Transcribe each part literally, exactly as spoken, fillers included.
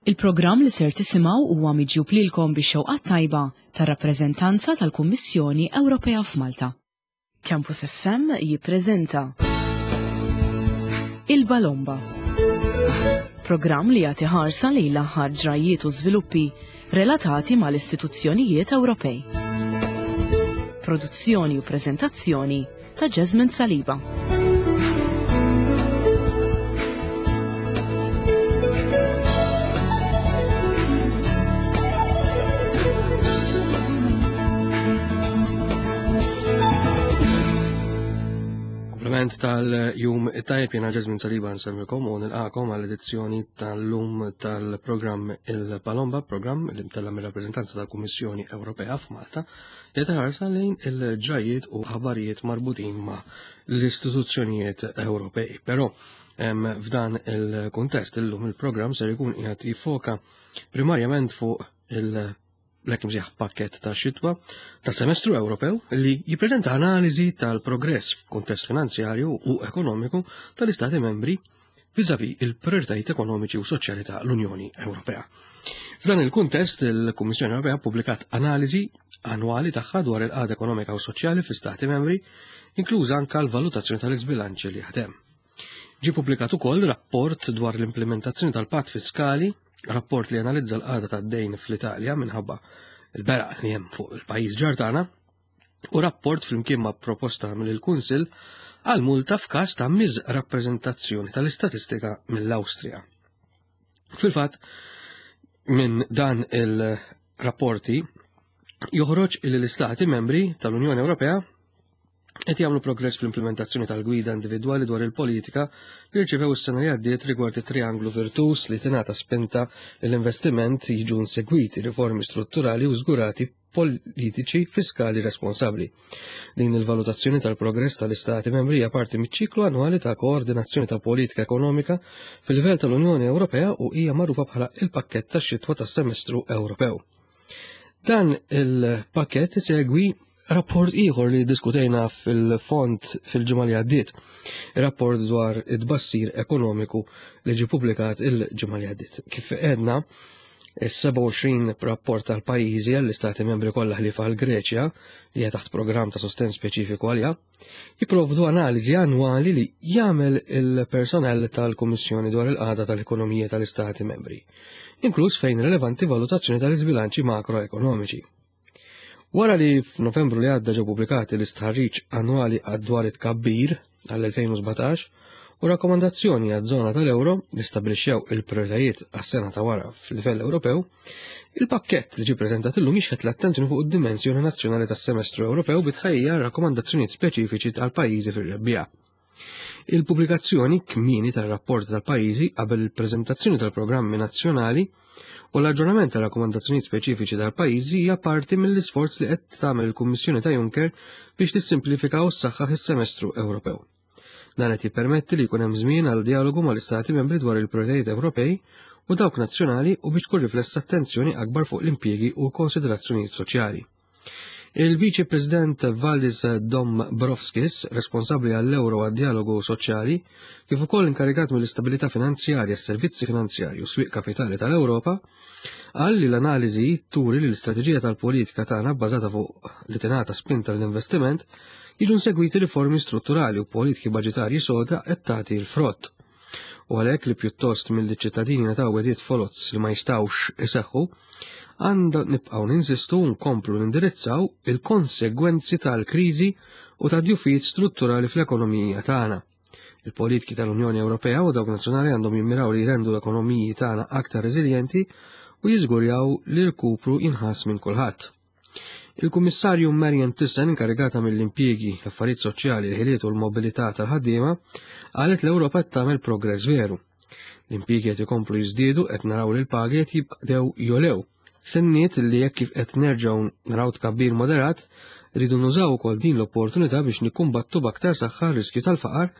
Il-programm li ser tisimgħu huwa miġjub lilkom bix-xewqat tajba tar-rappreżentanza tal-Kummissjoni Ewropea f'Malta. Campus F M jippreżenta Il-Balomba. Programm li jagħti ħarsa lejn l-aħħar ġrajiet u żviluppi relatati mal-istituzzjonijiet Ewropej. Produzzjoni u preżentazzjoni ta' Jasmine Saliba. Kompliment tal-jum it-tajb, jena Jasmine Saliba nsellmilkom u nilqakom għall-edizzjoni tal-lum tal-programm Il-Palomba, programm li mtella mir-rappreżentanza tal-Kummissjoni Ewropea f'Malta, li taħarsa lejn il-ġrajiet u ħabarijiet marbutin ma' l-istituzzjonijiet Ewropej. Però f'dan il-kuntest illum il-programm ser ikun qiegħed jiffoka primarjament fuq il- l-hekk imsejjaħ pakket ta' xitwa ta' semestru Ewropew li jippreżenta analiżi tal-progress f'kuntest finanzjarju u ekonomiku tal-Istati membri vis-à-vis il-prioritajiet ekonomiċi u soċjali ta' l-Unjoni Ewropea. F'dan il-kuntest, il-Kummissjoni Ewropea ppubblikat analiżi annwali tagħha dwar il-qagħda ekonomika u soċjali fl-Istati membri, inkluża anka l-valutazzjoni tal-iżbilanċi li jaħdem. Ġie pubblikat ukoll rapport dwar l-implementazzjoni tal-patt fiskali, rapport li analizza l-qagħda tad-dejn fl-Italja minħabba il-beraq li hemm fuq il-pajjiż ġar tagħna, u rapport flimkien ma' proposta mill-Kunsill għal multa f'każ ta' miżrappreżentazzjoni tal-istatistika mill-Awstrija. Fil-fatt, minn dan il-rapporti joħroġ li l-Istati membri tal-Unjoni Ewropea qed jagħmlu progress fl-implementazzjoni tal-gwida individwali dwar il-politika li rċevew is-sena li għaddiet rigward it-trianglu virtus li tingħata spinta l-investiment, jiġu insegwiti riformi strutturali u żgurati politiċi fiskali responsabbli. Din il-valutazzjoni tal-progress tal-Istati membri hija parti miċ-ċiklu annwali ta' koordinazzjoni ta' politika ekonomika fil-livell tal-Unjoni Ewropea u hija magħrufa bħala il-pakkett tax-xitwa tas-semestru Ewropew. Dan il-pakkett isegwi rapport ieħor li diskutejna fil-fond fil-ġimgħa li għaddiet, rapport dwar it-tbassir ekonomiku li ġie publikat il-ġimgħa li għaddiet. Kif għedna, is-sebgħa u għoxrin rapport tal-pajjiżi għall-istati membri kollha ħlief għall-Greċja, li hija taħt programm ta' sostenn speċifiku għalija, jipprovdu analiżi annwali li jagħmel il-personell tal-Kummissjoni dwar il-qagħda tal-ekonomija tal-istati membri, inkluż fejn rilevanti valutazzjoni tal-iżbilanċi makroekonomiċi. Wara li f'Novembru li għadda ġew pubblikati l-istħarriġ annwali dwar it-tkabbir għall-elfejn u sbatax u rakkomandazzjoni għaż-żona tal-euro li stabbilixxew il-prioritajiet għas-sena ta' wara fil-livell Ewropew, il-pakkett li ġie preżentat illum jixħet l-attenzjoni fuq id-dimensjoni nazzjonali tas-semestru Ewropew bi tħejjija rakkomandazzjonijiet speċifiċi tal-pajjiżi fir-rebbiegħa. Il-pubblikazzjoni kmieni tar-rapport tal-pajjiżi qabel il-preżentazzjoni tal-programmi nazzjonali u l-aġġornament ta' rakkomandazzjonijiet speċifiċi tal-pajjiżi hija parti mill-isforz li qed tagħmel il-Kummissjoni ta' Juncker biex tissimplifika u ssaħħaħ is-semestru Ewropew. Dan qed jippermetti li jkun hemm żmien għal dialogu mal-Istati membri dwar il-prioritajiet Ewropej u dawk nazzjonali u biex tkun riflessa attenzjoni akbar fuq l-impjiegi u konsiderazzjonijiet soċjali. Il-Viċi President Valdis Dombrovskis, responsabbli għall-euro għad-dialogu soċjali, kif ukoll inkarigat mill-istabilità finanzjarja, s-servizzi finanzjarji u swieq kapitali tal-Ewropa, qal li l-analiżi turi li l-istrateġija tal-politika tagħna bbażata fuq li tingħata spinta l-investiment, jiġu segwiti riformi strutturali u politiki baġitarji soda qed tagħti l-frott. U għalhekk li pjuttost mill-ċittadini ngħataw wegħdiet foloz li ma jistgħux iseħħu, għandna nibqgħu ninsistu u nkomplu nindirizzaw il-konsegwenzi tal-kriżi u ta' djufijiet strutturali fl-ekonomija tagħna. Il-politiki tal-Unjoni Ewropea u dawk nazzjonali għandhom jimmiraw li jrendu l-ekonomiji tagħna aktar reżiljenti u jiżgurjaw li l-kupru jinħass minn kulħadd. Il-Kummissarju Marianne Thyssen, inkarigata mill-impjiegi, l-affarijiet soċjali, il-ħiliet u l-mobilità tal-ħaddiema, qalet l-Ewropa qed tagħmel progress veru. L-impjiegi qed ikomplu jiżdiedu, qed naraw li l-pagi qed jibdew jolew. Senniet li jekk kif qed nerġgħu naraw tkabbir moderat, rridu nużaw ukoll din l-opportunità biex nikkumbattu b'aktar saħħa r-riskju tal-faqar,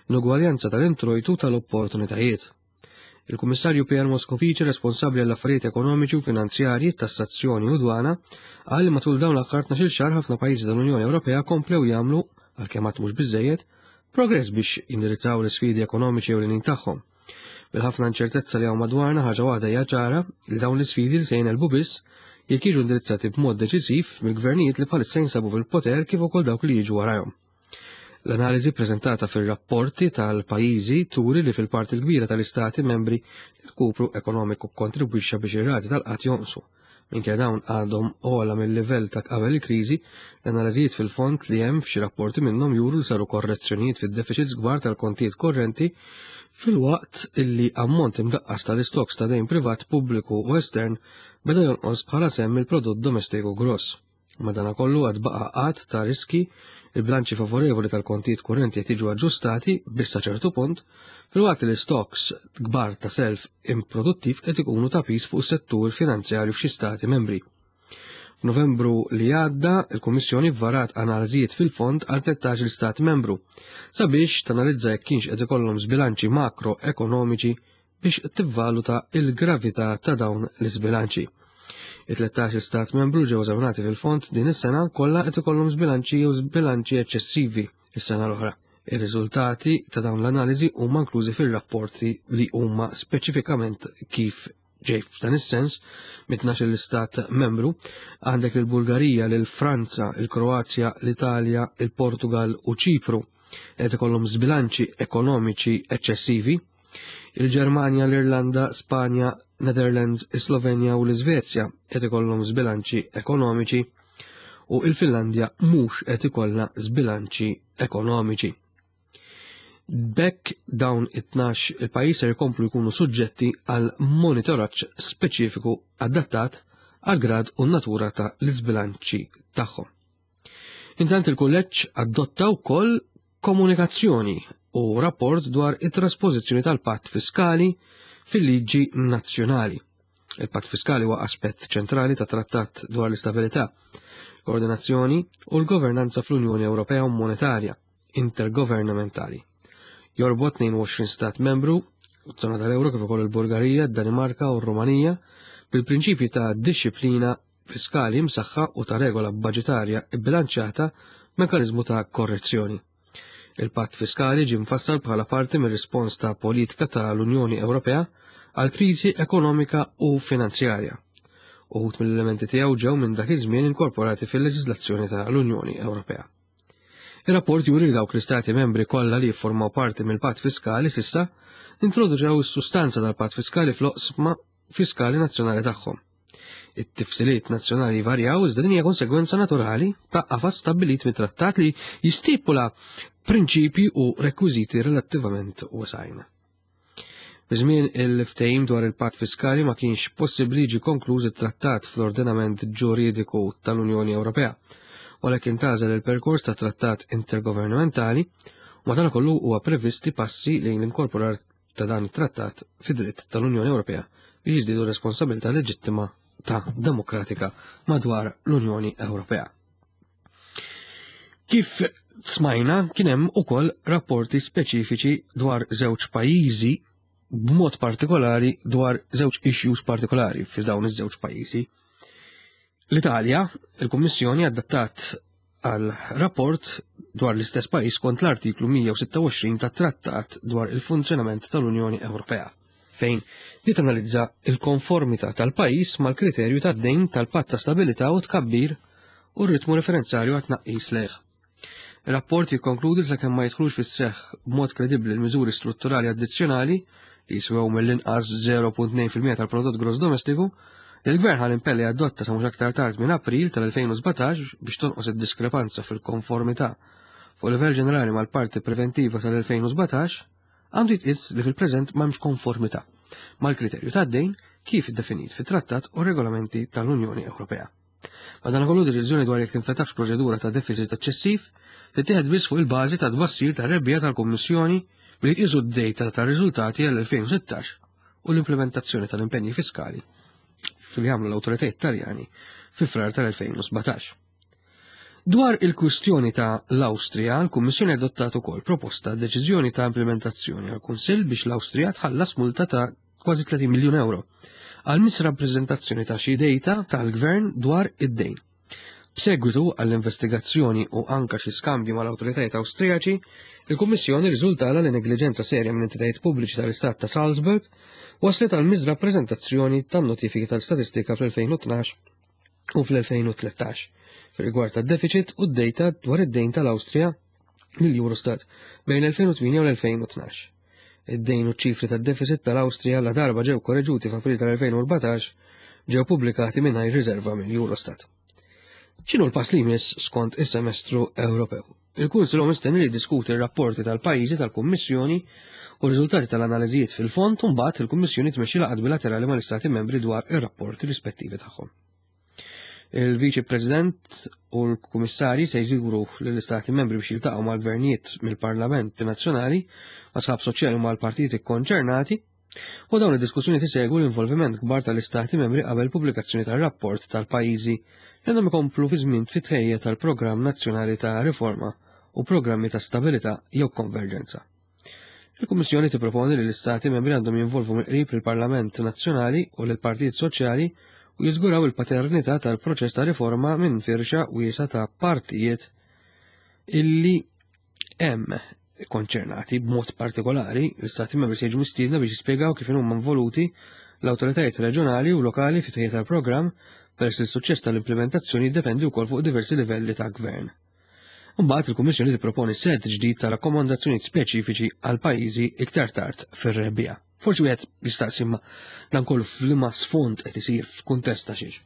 l-ugwaljanza tal-introjtu tal-opportunitajiet. Il-Kummissarju Pierre Moscovici, responsabbli għall-affarijiet ekonomiċi u finanzjarji, tassazzjoni u dwana, qal li matul dawn l-aħħar tnax-il xahar ħafna pajjiżi tal-Unjoni Ewropea komplew jagħmlu, għalkemm għad mhux biżejjed, progress biex jindirizzaw l-isfidi ekonomiċi ewlenin tagħhom. Bil-ħafna inċertezza li hawn madwarna, ħaġa waħda hija ċara, li dawn l-isfidi li se jingħelbu biss jekk jiġu indirizzati b'mod deċisiv mill-gvernijiet li bħalissa jinsabu fil-poter kif ukoll dawk li jiġu warajhom. L-analiżi preżentata fir-rapporti tal-pajjiżi turi li fil-parti l-kbira tal-istati membri l-kupru ekonomiku kontribwixxa biex ir-rati tal-qgħad jonqsu. Minkejja dawn għadhom ogħla mill-livell ta' qabel il-kriżi, l-analiżijiet fil-fond li hemm f'xi rapporti minnhom juru li saru korrezzjonijiet fid-deficits kbar tal-kontijiet korrenti filwaqt illi ammont imdaqqas tal-istoks ta' dejn privat, pubbliku u estern beda jonqos bħala sehem mill-prodott domestiku gross. Madanakollu għad baqa' għadd ta' riski. Il-bilanċi favorevoli tal-kontijiet kurrenti qed jiġu aġġustati biss sa ċertu punt, filwaqt li l-istoks kbar ta' self improduttiv qed ikunu ta' piż fuq is-settur finanzjarju f'xi stati membri. F'Novembru li għadda, il-Kummissjoni varat analiżijiet fil-fond għal tlettax-il stat membru sabiex tanalizza jekk kienx qed ikollhom żbilanċi makroekonomiċi biex tivvaluta il-gravità ta' dawn l-iżbilanċi. It-tlettax stat membru ġew eżaminati fil-fond din is-sena kollha qed ikollhom żbilanċi jew żbilanċi eċċessivi is-sena l-oħra. Ir-riżultati ta' dawn l-analiżi huma inklużi fir-rapporti li huma speċifikament kif ġej. F'dan is-sens, mit-tnax l-istat membru għandek il-Bulgarija, l-Franza, il-Kroazja, l-Italja, il-Portugal u Ċipru qed ikollhom żbilanċi ekonomiċi eċċessivi, il-Ġermanja, l-Irlanda, Spanja, Netherlands, Slovenja u l-Iżvezja qed ikollhom żbilanċi ekonomiċi u il-Finlandja mhux qed ikollha żbilanċi ekonomiċi. B'hekk dawn it-tnax il-pajjiż ser jkomplu jkunu suġġetti għal monitoraġġ speċifiku adattat għal grad u natura ta' l-iżbilanċi tagħhom. Intant il-kulleġġ adotta wkoll komunikazzjoni u rapport dwar it-traspożizzjoni tal-patt fiskali fil-liġi nazzjonali. Il-patt fiskali huwa aspett ċentrali ta' trattat dwar l-istabilità, koordinazzjoni u l-governanza fl-Unjoni Ewropea u Monetarja intergovernamentali. Jorbot tnejn u għoxrin stat membru, zona tal-Euro kif ukoll il-Bulgarija, d-Danimarka u r-Rumanija bil-prinċipji ta' disċiplina fiskali msaħħa u ta' regola budgetarja bilanċjata, mekanizmu ta' korrezzjoni. Il-patt fiskali ġie mfassal bħala parti mir-rispons ta' politika tal-Unjoni Ewropea għal kriżi ekonomika u finanzjarja. Uħud mill-elementi tiegħu ġew minn dak iż-żmien inkorporati fil-leġiżlazzjoni tal-Unjoni Ewropea. Il-rapport juri li dawk l-istati membri kollha li jiffurmaw parti mill-patt fiskali s'issa introduċew is-sustanza tal-patt fiskali fl-oqsma fiskali nazzjonali tagħhom. It-tifsiliet nazzjonali varjaw, iżda din hija konsegwenza naturali ta' qafas stabbilit mit-trattat li jistipula prinċipji u rekwiżiti relattivament wesgħin. Biżmien il-ftehim dwar il-patt fiskali ma kienx possibbli jiġi konkluż it-trattat fl-ordinament ġuridiku tal-Unjoni Ewropea, walakin tagħżel il-perkors ta' trattat intergovernamentali u madankollu huwa previsti passi lejn l-inkorporar ta' dan it-trattat fid-dritt tal-Unjoni Ewropea biex jiżdiedu responsabilità leġittima ta' demokratika madwar l-Unjoni Ewropea. Kif smajna, kien hemm ukoll rapporti speċifiċi dwar żewġ pajjiżi, b'mod partikolari dwar żewġ issues partikolari fi dawn iż-żewġ pajjiżi. L-Italja, il-Kummissjoni adattat għal rapport dwar l-istess pajjiż kont l-artiklu mija u sitta u għoxrin tat-Trattat dwar il-funzjonament tal-Unjoni Ewropea, fejn di tanalizza il-konformità tal-pajjiż mal-kriterju tad-dejn tal-Patt ta' Stabilità u Tkabbir u r-ritmu referenzarju għat-tnaqqis lejh. Il-rapport jikkonkludi, sakemm ma jidħlux fis-seħħ b'mod kredibbli l-miżuri strutturali addizzjonali li jiswew mill-inqas żero punt tnejn fil-mija tal-prodott gross domestiku, il-gvern ħa l-impenn li adotta sa mhux aktar tard minn April tal-elfejn u sbatax biex tonqos id-diskrepanza fil-konformità fuq livell ġenerali mal-parti preventiva sal-elfejn u sbatax, għandu jitqis li fil-preżent m'hemmx konformità mal-kriterju tad-dejn kif definit fit-trattat u regolamenti tal-Unjoni Ewropea. Madankollu, deċiżjoni dwar jekk tinfetax proċedura ta' deficit eċċessiv tittieħed biss fuq il-bażi ta' tbassir ta' rebbija tal-Kummissjoni billi tqisu d-data ta' riżultati għall-elfejn u sittax u l-implementazzjoni tal-impenji fiskali fil jagħmlu l-awtoritajiet Taljani fi Frar tal-elfejn u sbatax. Dwar il-kwistjoni ta' l-Awstrija, l-Kummissjoni adottat ukoll proposta deċiżjoni ta' implementazzjoni għal Kunsill biex l-Awstrija tħallas multa ta' kważi tletin miljun euro għal misrappreżentazzjoni ta' xi data tal-gvern dwar id-dejn. B'segwitu għall-investigazzjoni u anka xi skambji mal-awtoritajiet Awstrijaċi, il-Kummissjoni riżultala li negliġenza serja minn entitajiet pubbliċi tal-Istat ta' Salzburg waslet għal miżrappreżentazzjoni tan-notifiki tal-statistika fl-elfejn u tnax u fl-elfejn u tlettax fir-rigward tad-deficit u d-dejta dwar id-dejn tal-Awstrija lill-Eurostat bejn l-elfejn u tmienja u l-elfejn u tnax. Id-dejn u ċifri tad-deficit tal-Awstrija la darba ġew korreġuti f'April tal-elfejn u erbatax ġew pubblikati mingħajr riserva mill-Eurostat. X'inhu l-pass li jmiss skont is-semestru Ewropew? Il-Kunsill hu mistenni li jiddiskuti r-rapporti tal-pajjiżi tal-Kummissjoni u r-riżultati tal-analiżijiet fil-fond u mbagħad il-Kummissjoni tmexxi laqgħat bilaterali mal-Istati membri dwar ir-rapporti rispettivi tagħhom. Il-Viċi President u l-Kummissarji se jżuru lill-Istati membri biex jiltaqgħu mal-gvernijiet mill-Parlament Nazzjonali, ma' sħab soċjali u mal-partiti konċernati, u dawn id-diskussjoni tisegwu l-involviment kbar tal-Istati membri qabel pubblikazzjoni tar-rapport tal-pajjiżi li għandhom ikomplu fi żmien fit-tħejja tal-Programm Nazzjonali ta' Riforma u programmi ta' stabilità jew konverġenza. Il-Kummissjoni tipproponi li l-Istati membri għandhom jinvolvu mill-qrib lill-Parlament Nazzjonali u lill-Partit Soċjali u jiżguraw il-paternità tal-proċess ta' riforma minn firxa wiesa ta' partijiet illi hemm konċernati. B'mod partikolari, l-Istati membri se jiġu mistiedna biex jispjegaw kif huma involuti l-awtoritajiet reġjonali u lokali fit-tħejjija tal-programm, peress li s-suċċess tal-implementazzjoni jiddependi wkoll fuq diversi livelli ta' gvern. Imbagħad il-Kummissjoni tipproponi set ġdid ta' rakkomandazzjonijiet speċifiċi għal pajjiżi iktar tard fir-rebbiegħa. Forsi wieħed jistaqsi imma dan kollu f'liema sfond qed isir f'kuntest ta' xiex.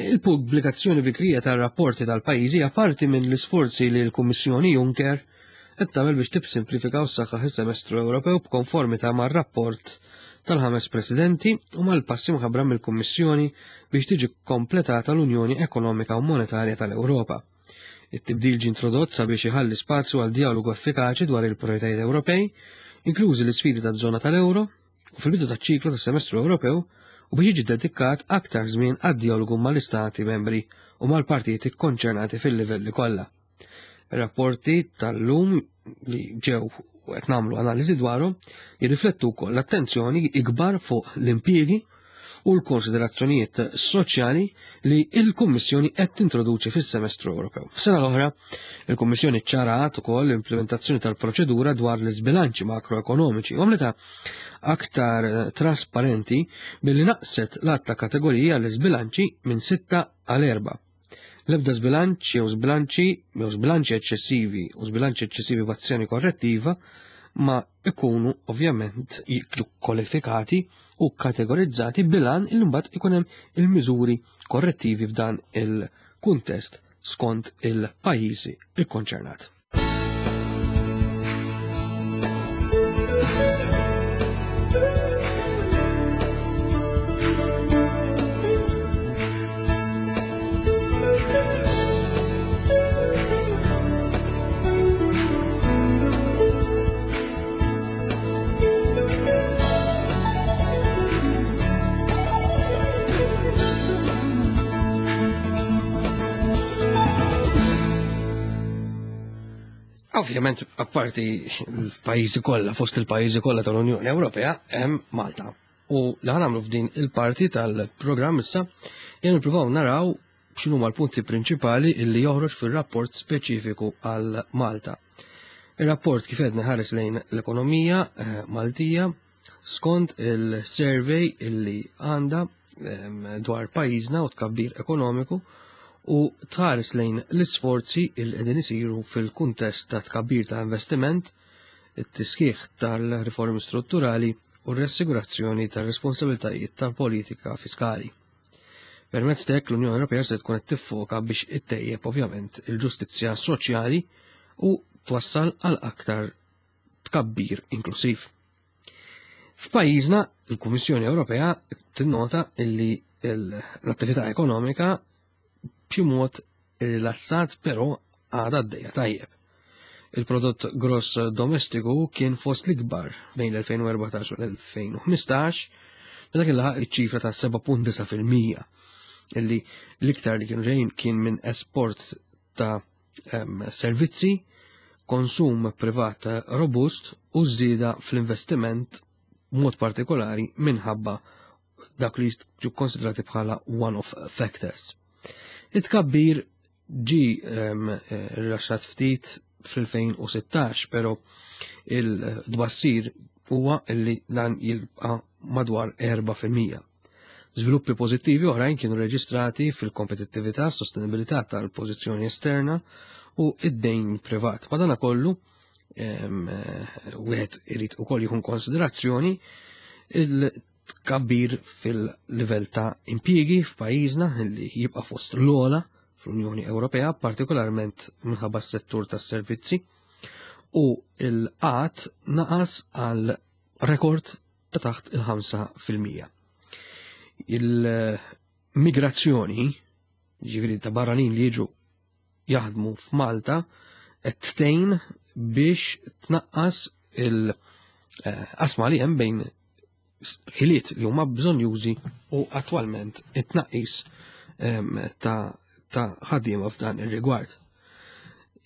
Il-pubblikazzjoni bikrija tar-rapporti tal-pajjiżi hija parti minn l-isforzi li l-Kummissjoni Juncker qed tagħmel biex tibsimplifika u ssaħħaħ is-semestru Ewropew b'konformità mar-rapport tal-ħames presidenti u mal-passi mħabbra mill-Kummissjoni biex tiġi kompletata l-Unjoni Ekonomika u Monetarja tal-Ewropa. It-tibdil ġie introdott sabiex iħalli spazju għal dialogu effikaċi dwar il-prioritajiet Ewropej, inklużi l-isfidi taż-żona tal-Ewro, u fil-bidu taċ-ċiklu tas-semestru Ewropew, u biex jiġi dedikat aktar żmien għad-dialogu mal-istati membri u mal-partijiet ikkonċernati fil-livelli kollha. Ir-rapporti tal-lum li ġew u qed nagħmlu analiżi dwarhom jirriflettu wkoll l-attenzjoni ikbar fuq l-impjiegi u l-konsiderazzjonijiet soċjali li l-Kummissjoni qed tintroduċi fis-semestru Ewropew. F'sena l-oħra, il-Kummissjoni ċċarat ukoll l-implementazzjoni tal-proċedura dwar l-iżbilanċi makroekonomiċi u għamlitha aktar trasparenti billi naqset l-għadd ta' kategoriji għall-iżbilanċi minn sitta għal erba'. L-ebda żbilanċ jew żbilanċi jew żbilanċi eċċessivi u żbilanċi eċċessivi b'azzjoni korrettiva ma ikunu ovvjament jiġu kwalifikati u kategorizzati bilan il mbagħad ikun hemm il-miżuri korrettivi f'dan il-kuntest skont il-pajjiżi ikkonċernat. Ovvjament, apparti l-pajjiżi kollha, fost il-pajjiżi kollha tal-Unjoni Ewropea, hemm Malta. U li ħanamlu f'din il-parti tal-programm issa, jien nippruvaw naraw x'inhuma l-punti prinċipali illi joħroġ fir-rapport speċifiku għal Malta. Ir-rapport kif qed ħares lejn l-ekonomija, eh, Maltija skont il-survey illi għandha, ehm, dwar pajjiżna u tkabbir ekonomiku u tħares lejn l-isforzi il qegħdin isiru fil-kuntest ta' tkabbir ta' investiment, it-tisħiħ tal-riformi strutturali u r-ressigurazzjoni tar-responsabilitajiet tal-politika fiskali. Permezz t'hekk l-Unjoni Ewropea se tkun qed tiffoka biex ittejjeb ovvjament il-ġustizzja soċjali u twassal għal aktar tkabbir inklusiv. F'pajjiżna l-Kummissjoni Ewropea tinnota illi l-attività ekonomika b'xi mod rilassat però għadha għaddejja tajjeb. Il-prodott gross domestiku kien fost l-ikbar bejn l-elfejn u erbatax u l-elfejn u ħmistax, meta kien laħaq iċ-ċifra ta' seba' punt disa' fil-mija, illi l-iktar li kienu ġejjin kien minn esport ta', ehm, servizzi, konsum privat robust u żieda fl-investiment b'mod partikolari minħabba dak li jiġu konsidrati bħala one-off factors. It-tkabbir ġi rilaxxat ftit fl-elfejn u sittax, però il-tbassir huwa li dan jibqa' madwar erba' fil-mija. Żviluppi pożittivi oħrajn kienu reġistrati fil-kompetittività, sostenibilità tal-pożizzjoni esterna u id-dejn privat. Madanakollu, wieħed irid ukoll jieħu konsiderazzjoni il-tkabbir fil-livell ta' impjiegi f'pajjiżna li jibqa' fost l-ogħla fl-Unjoni Ewropea, partikolarment minħabba s-settur tas-servizzi, u l-qgħad naqas għal rekord ta' taħt il-ħamsa fil-mija. Il-migrazzjoni, ġifieri ta' barranin li jiġu jaħdmu f'Malta, qed tgħin biex tnaqqas il-qasma li hemm bejn ħiliet li huma bżonjużi u attwalment it-tnaqqis ta' ta' ħaddiema f'dan ir-rigward.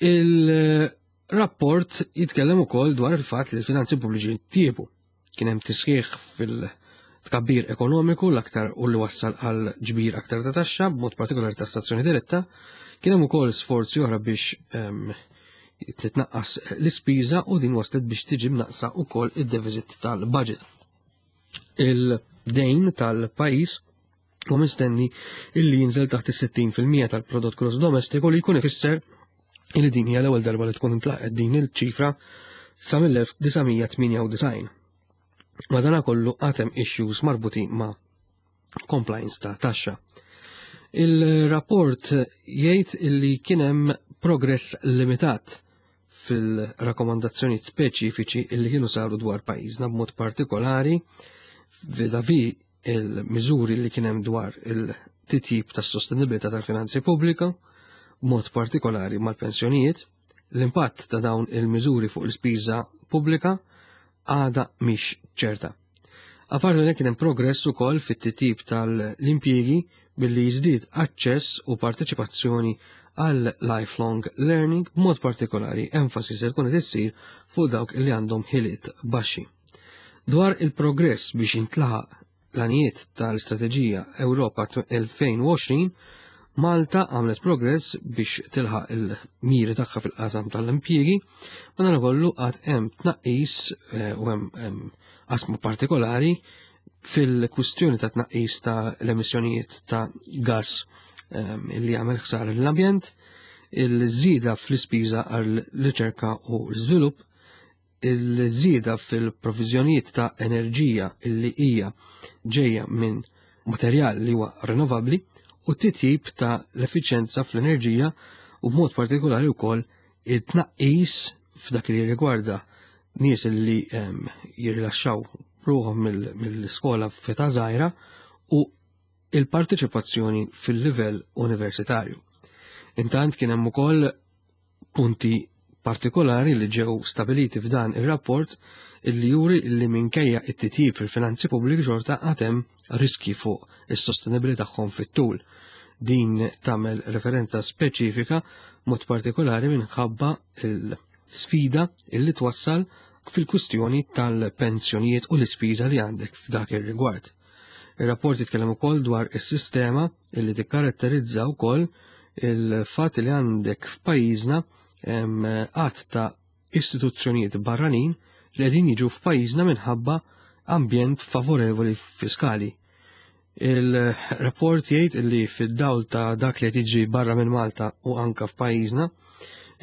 Il-rapport jitkellem ukoll dwar il-fatt li l-finanzi pubbliċi tjiebu. Kien hemm tisħiħ fil-tkabbir ekonomiku l-aktar u li wassal għal ġbir aktar ta' taxxa, b'mod partikolari tassazzjoni diretta. Kien hemm ukoll sforzi oħra biex titnaqqas l-ispiża u din waslet biex tiġi mnaqsa wkoll id-deficit tal-budget. Il-dejn tal-pajjiż u mistenni illi jinżel taħt is-sittin fil-mija tal-prodott gross domestiku, li jkun ifisser illi din hija l-ewwel darba li tkun intlaqet din il-ċifra sa mill-elf disa' mija tmienja u disgħin. Madanakollu għad hemm issues marbutin ma' compliance ta' taxxa. Il-rapport jgħid illi kien hemm progress limitat fil-rakkomandazzjonijiet speċifiċi illi kienu saru dwar pajjiżna, b'mod partikolari vis-à-vis il-miżuri li kien hemm dwar il-titjib tas-sostenibilità tal-finanzi pubblika, b'mod partikolari mal-pensjonijiet. L-impatt ta' dawn il-miżuri fuq l-ispiża pubblika għadha mhix ċerta. Apparti minn hekk kien hemm progress ukoll fit-titjib tal-impjiegi billi jiżdied aċċess u parteċipazzjoni għal lifelong learning, b'mod partikolari enfasi se tkun qed issir fuq dawk li għandhom ħiliet baxxi. Dwar il-progress biex jintlaħaq l-għanijiet tal-Istrateġija Ewropa elfejn u għoxrin, Malta għamlet progress biex tilħaq il-miri tagħha fil-qasam tal-impjiegi, madankollu għad hemm tnaqqis, eh, u hemm, hemm qasmu partikolari fil-kwistjoni ta' tnaqqis ta' l-emissjonijiet ta' gas, ehm, li jagħmel ħsara lill-ambjent, il-żieda fl-ispiża għall-riċerka u l-iżvilupp, il-żieda fil-provviżjonijiet ta' enerġija li hija ġejja minn materjal li huwa rinnovabbli u t-titjib ta' l-effiċjenza fl-enerġija u b'mod partikolari wkoll it-tnaqqis f'dak li rigwarda nies li, ehm, jirrilaxxaw ruħhom mill-, mill-iskola f'età żgħira u il-parteċipazzjoni fil-livell universitarju. Intant kien hemm ukoll punti partikolari li ġew stabiliti f'dan ir-rapport illi juri li minkejja it-titjib fil-finanzi pubbliki xorta għad hemm riski fuq is-sostenibilità tagħhom fit-tul. Din tagħmel referenza speċifika mod partikolari minħabba l-sfida illi twassal fil-kwistjoni tal-pensjonijiet u l-ispiża li għandek f'dak ir-rigward. Ir-rapport jitkellem ukoll dwar is-sistema illi tikkaratterizza wkoll il-fatt li għandek f'pajjiżna hemm għadd ta' istituzzjonijiet barranin li qegħdin jiġu f'pajjiżna minħabba ambjent favorevoli fiskali. Il-rapport jgħid li fid-dawl ta' dak li qed jiġri barra minn Malta u anka f'pajjiżna,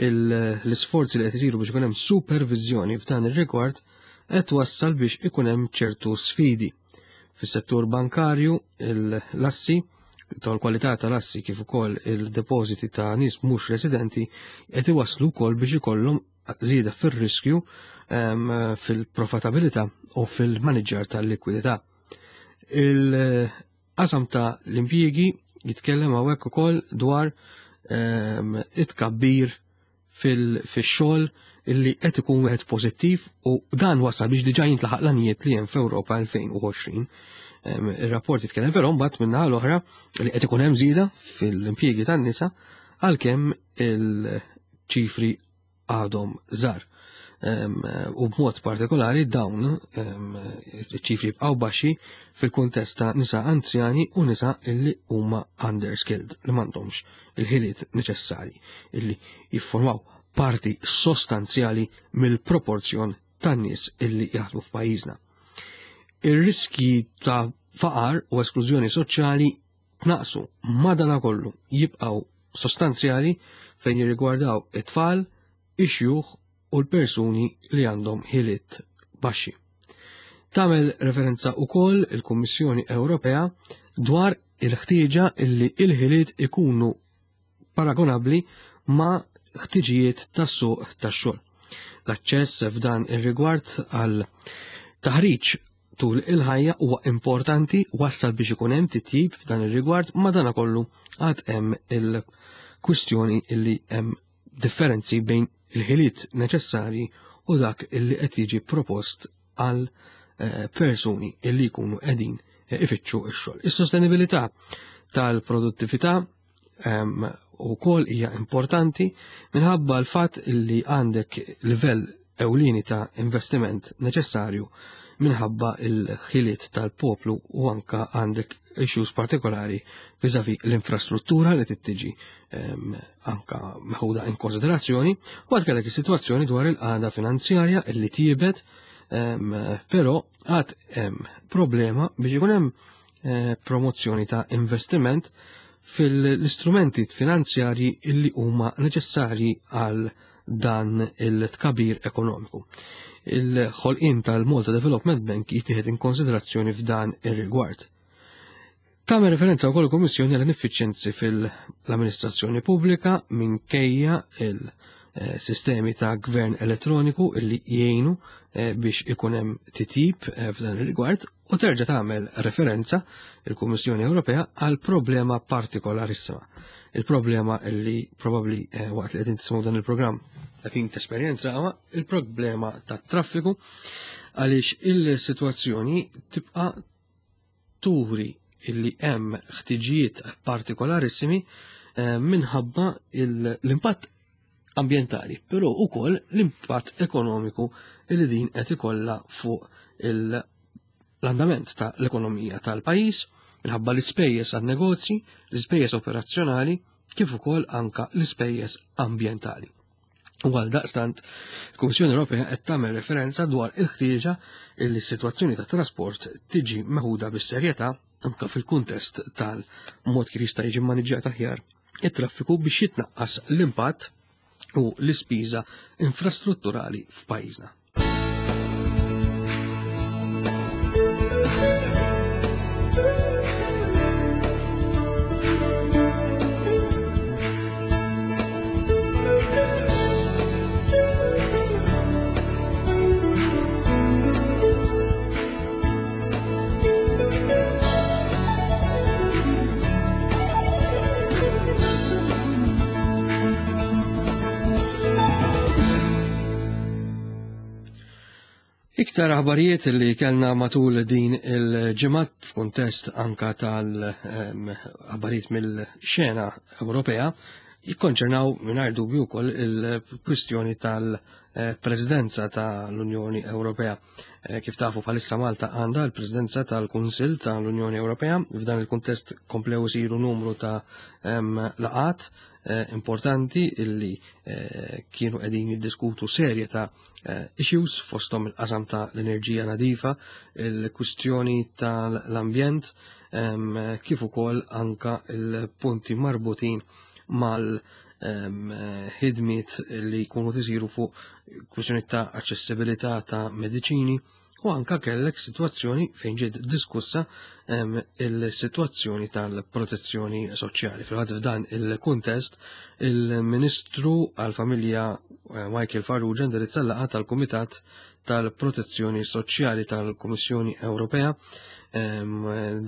il-, l-isforzi li qed isiru biex ikun hemm supervizjoni f'dan ir-rigward qed twassal biex ikun hemm ċertu sfidi. Fis-settur bankarju, l-assi, tal-kwalità tal-assi kif ukoll il-depożiti ta' nies mhux residenti qed iwasslu wkoll biex ikollhom żieda fir-riskju, ehm, fil-profitabilità u fil-maniġġar tal-likwidità. Il-qasam ta' l-impjiegi jitkellem hawnhekk ukoll dwar, ehm, it-tkabbir fil-, fix-xogħol illi qed ikun wieħed pożittiv u dan wasal biex diġà jintlaħaq l-għanijiet li hemm f'Ewropa elfejn u għoxrin. Ehm, ir-rapport jitkellem però mbagħad min-naħa l-oħra li qed ikun hemm żieda fil-impjiegi tan-nisa għalkemm il-ċifri għadhom żgħar. u b'mod partikolari dawn iċ-ċifri jibqgħu baxxi fil-kuntest ta' nisa anzjani u nisa illi huma underskilled, li m'għandhomx il-ħiliet neċessarji illi jiffurmaw parti sostanzjali mill-proporzjon tan-nies illi jaħdmu f'pajjiżna. Ir-riski ta' faqar u esklużjoni soċjali tnaqsu, madanakollu jibqgħu sostanzjali fejn jirrigwardaw it-tfal, ix-xjuħ u l-persuni li għandhom ħiliet baxxi. Tagħmel referenza wkoll il-Kummissjoni Ewropea dwar il-ħtieġa illi il-ħiliet ikunu paragonabbli ma' ħtiġijiet tas-suq tax-xogħol. L-aċċess f'dan ir-rigward għal taħriġ tul il-ħajja huwa importanti, wassal biex ikun hemm titjib f'dan ir-rigward, madanakollu għad hemm il-kwistjoni illi hemm differenzi bejn il-ħiliet neċessarji u dak illi qed jiġi propost għal persuni illi jkunu qegħdin ifittxu x-xogħol. Is-sostenibilità tal-produttività ukoll hija importanti minħabba l-fatt illi għandek livell ewlieni ta' investiment neċessarju minħabba il-ħiliet tal-poplu u anka għandek issues partikolari vis-à-vis l-infrastruttura li tittiġi anka meħuda in konsiderazzjoni, u għad kellek is-sitwazzjoni dwar il-qagħda finanzjarja illi tiebet, però għad hemm problema biex ikun hemm promozzjoni ta' investiment fil-istrumenti finanzjarji illi huma neċessarji għal dan il-tkabir ekonomiku. Il-ħolqien tal-Malta Development Bank jittieħed in konsiderazzjoni f'dan ir-rigward. Tagħmel referenza wkoll il-Kummissjoni għal ineffiċjenzi fil-amministrazzjoni pubblika minkejja il-sistemi ta' gvern elettroniku illi jgħinu biex ikun hemm titjib f'dan ir-rigward, u terġa' tagħmel referenza il-Kummissjoni Ewropea għal problema partikolarissima. Il-problema illi probabbli waqt li qegħdin tisimgħu dan il-programm qegħdin tesperjenza huwa il-problema tat-traffiku, għaliex il-sitwazzjoni tibqa' turi illi hemm ħtiġijiet partikolarissimi minħabba l-impatt ambjentali, però wkoll l-impatt ekonomiku illi din qed ikollha fuq l-andament tal-ekonomija tal-pajjiż, minħabba l-ispejjeż għan-negozji, l-ispejjeż operazzjonali, kif ukoll anka l-ispejjeż ambjentali. U għal daqstant, il-Kummissjoni Ewropea qed tagħmel referenza dwar il-ħtieġa li s-sitwazzjoni tat-trasport tiġi meħuda bis-serjetà anka fil-kuntest tal-mod kif jista' jiġi mmaniġġjat aħjar it-traffiku biex jitnaqqas l-impatt u l-ispiża infrastrutturali f'pajjiżna. Iktar aħbarijiet li kellna matul din il-ġimgħa f'kuntest anka tal-aħbarijiet mill-xena Ewropea jikkonċernaw mingħajr dubju wkoll il-kwistjoni tal-Presidenza tal-Unjoni Ewropea. Kif tafu bħalissa Malta għandha l-Presidenza tal-Kunsill tal-Unjoni Ewropea. F'dan il-kuntest komplew isiru numru ta' laqat importanti illi kienu qegħdin jiddiskutu serje ta' issues fosthom il-qasam ta' l-enerġija nadifa, il-kwistjoni tal-ambjent, kif ukoll anka il-punti marbutin mal-ħidmiet li jkunu tisiru fuq kwistjoni ta' aċċessibilità ta' mediċini, u anka kellek sitwazzjoni fejn ġiet diskussa il-sitwazzjoni tal-protezzjoni soċjali. Fil-fatt f'dan il-kuntest, il-Ministru għall-Familja Michael Farrugia indirizza l-laqgħa tal-Kumitat tal-Protezzjoni Soċjali tal-Kummissjoni Ewropea.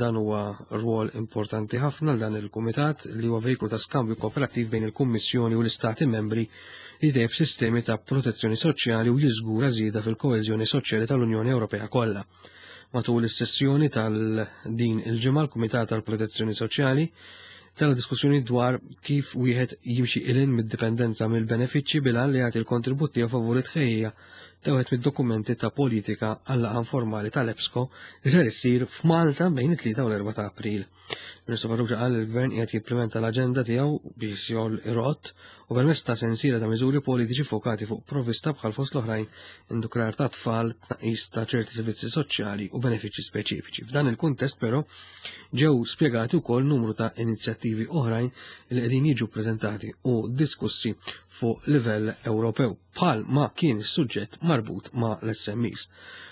Dan huwa rwol importanti ħafna dan il-Kumitat li huwa vejklu ta' skambju kooperattiv bejn il-Kummissjoni u l-Istati membri li jtejjeb sistemi ta' protezzjoni soċjali u jiżgura żieda fil-koeżjoni soċjali tal-Unjoni Ewropea kollha. Matul is-sessjoni tal-din il-ġimgħa l-Kumitat tal-Protezzjoni Soċjali Tella diskussjoni dwar kif wieħed jimxi ilin mid-dipendenza mill-benefiċċji bil-għan li jagħti l-kontribut tiegħu favur it-tħejjija ta' wieħed mid-dokumenti ta' politika għal-laqgħa informali tal-EPSCO li ser issir f'Malta bejn it-tlieta u l-erbgħa ta' April. Ministru Farrugia qal li l-Gvern qiegħed jimplementa l-aġenda tiegħu biex jgħol irott u permezz ta' sensiela ta' miżuri politiċi fokati fuq provvista bħal fost l-oħrajn indukrar ta' tfal, tnaqqis ta' ċerti servizzi soċjali u benefiċċji speċifiċi. F'dan il-kuntest però ġew spjegati wkoll numru ta' inizjattivi oħrajn li qegħdin jiġu ppreżentati u diskussi fuq livell Ewropew bħal ma kien is-suġġett marbut ma' l-S M Es.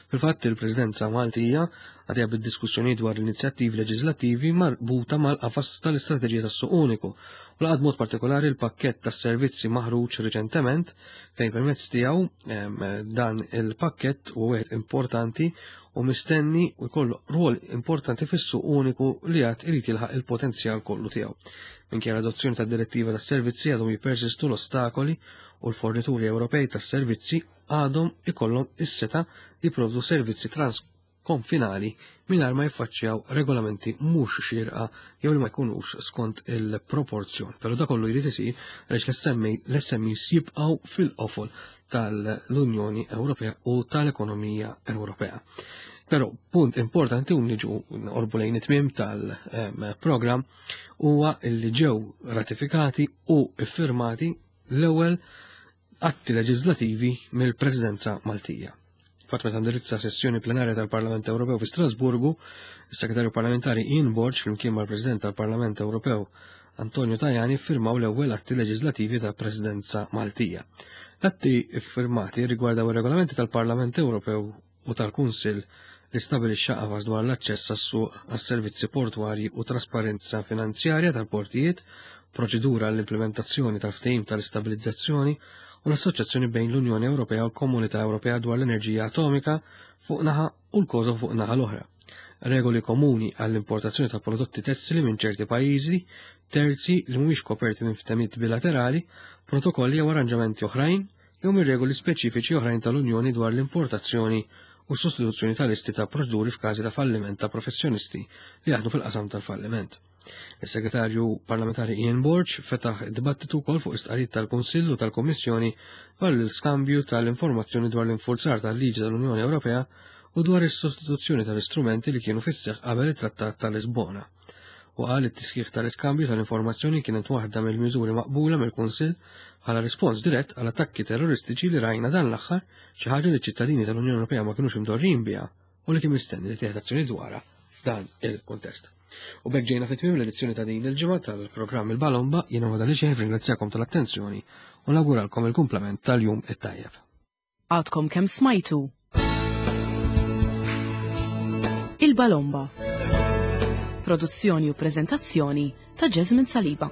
Fil-fatt il-Presidenza Maltija għadja bid-diskussjoni dwar l-inizjattivi leġislattivi marbuta mal-qafas tal-istrateġija tas-suq uniku u laqgħet mod partikolari l-pakkett tas-servizzi maħruġ riċentement fejn permezz tiegħu dan il-pakkett huwa wieħed importanti u mistenni u jkollu rwol importanti fis-suq uniku li għad irid jilħaq il-potenzjal kollu tiegħu. Minkejja l-adozzjoni tad-direttiva tas-servizzi għadhom jippersistu l-ostakoli u l-fornituri Ewropej tas-servizzi għadhom ikollhom is-seta jipprovdu servizzi transkonfinali mingħajr ma jiffaċċjaw regolamenti mhux xierqa jew li ma jkunux skont il-proporzjon. Però da kollu jrid isir għaliex l-S M Es jibqgħu fil-qofol tal-Unjoni Ewropea u tal-ekonomija Ewropea. Però punt importanti u niġu orbu lejn it-tmiem tal-programm huwa li ġew ratifikati u iffirmati l-ewwel atti leġislativi mill-Presidenza Maltija. Fatt meta indirizza sessjoni plenarja tal-Parlament Ewropew fi Strasburgu, is-Segretarju Parlamentari Ian Borg flimkien mal-President tal-Parlament Ewropew Antonio Tajani firmaw l-ewwel atti leġislativi tal-Presidenza Maltija. L-atti iffirmati rigwardaw ir-regolamenti tal-Parlament Ewropew u tal-Kunsill li stabilixxa qafas dwar l-aċċess għas-suq għas-servizzi portwarji u trasparenza finanzjarja tal-portijiet, proċedura għall-implementazzjoni tal-ftehim tal-istabilizzazzjoni u l-Assoċjazzjoni bejn l-Unjoni Ewropea u l-Komunità Ewropea dwar l-Enerġija Atomika fuq naħa u l-Kosovo fuq naħa l-oħra. Regoli komuni għall-importazzjoni ta' prodotti tessili minn ċerti pajjiżi terzi li mhumiex koperti minn ftehimiet bilaterali, protokolli jew arranġamenti oħrajn jew minn regoli speċifiċi oħrajn tal-Unjoni dwar l-importazzjoni u s-sostituzzjoni tal-listi ta' proċeduri f'każi ta' falliment ta' professjonisti li jaħdmu fil-qasam tal-falliment. Is-Segretarju Parlamentari Ian Borg fetaħ dibattitu wkoll fuq istqarrijiet tal-Kunsill u tal-Kummissjoni dwar l-iskambju tal-informazzjoni dwar l-infurzar tal-liġi tal-Unjoni Ewropea u dwar is-sostituzzjoni tal-istrumenti li kienu fis-seħħ qabel it-Trattat tal-Lisbona. U qal it-tisħiħ tal-iskambju tal-informazzjoni kienet waħda mill-miżuri maqbula mill-Kunsill bħala rispons dirett għal attakki terroristiċi li rajna dan l-aħħar, xi ħaġa li ċ-ċittadini tal-Unjoni Ewropea ma kinux imdorrin biha u li kien mistenni li tieħed azzjoni dwarha f'dan il-kuntest. U b'hekk ġejna fit-tmiem l-edizzjoni ta' din il-ġimgħa tal-programm Il-Balomba, jiena għada li xejn ringrazzjakom tal-attenzjoni u nawguralkom il-kumplament tal-jum it-tajjeb. Għadkom kemm smajtu Il-Balomba. Produzzjoni u prezentazzjoni ta' Jasmine Saliba.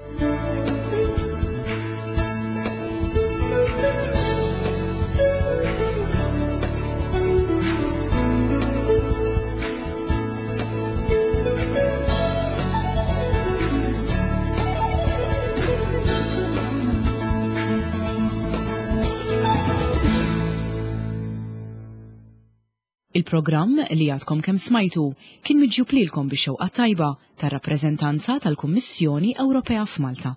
Il-programm li għadkom kemm smajtu kien miġjub lilkom bix-xewqa tajba tar-rappreżentanza tal-Kummissjoni Ewropea f'Malta.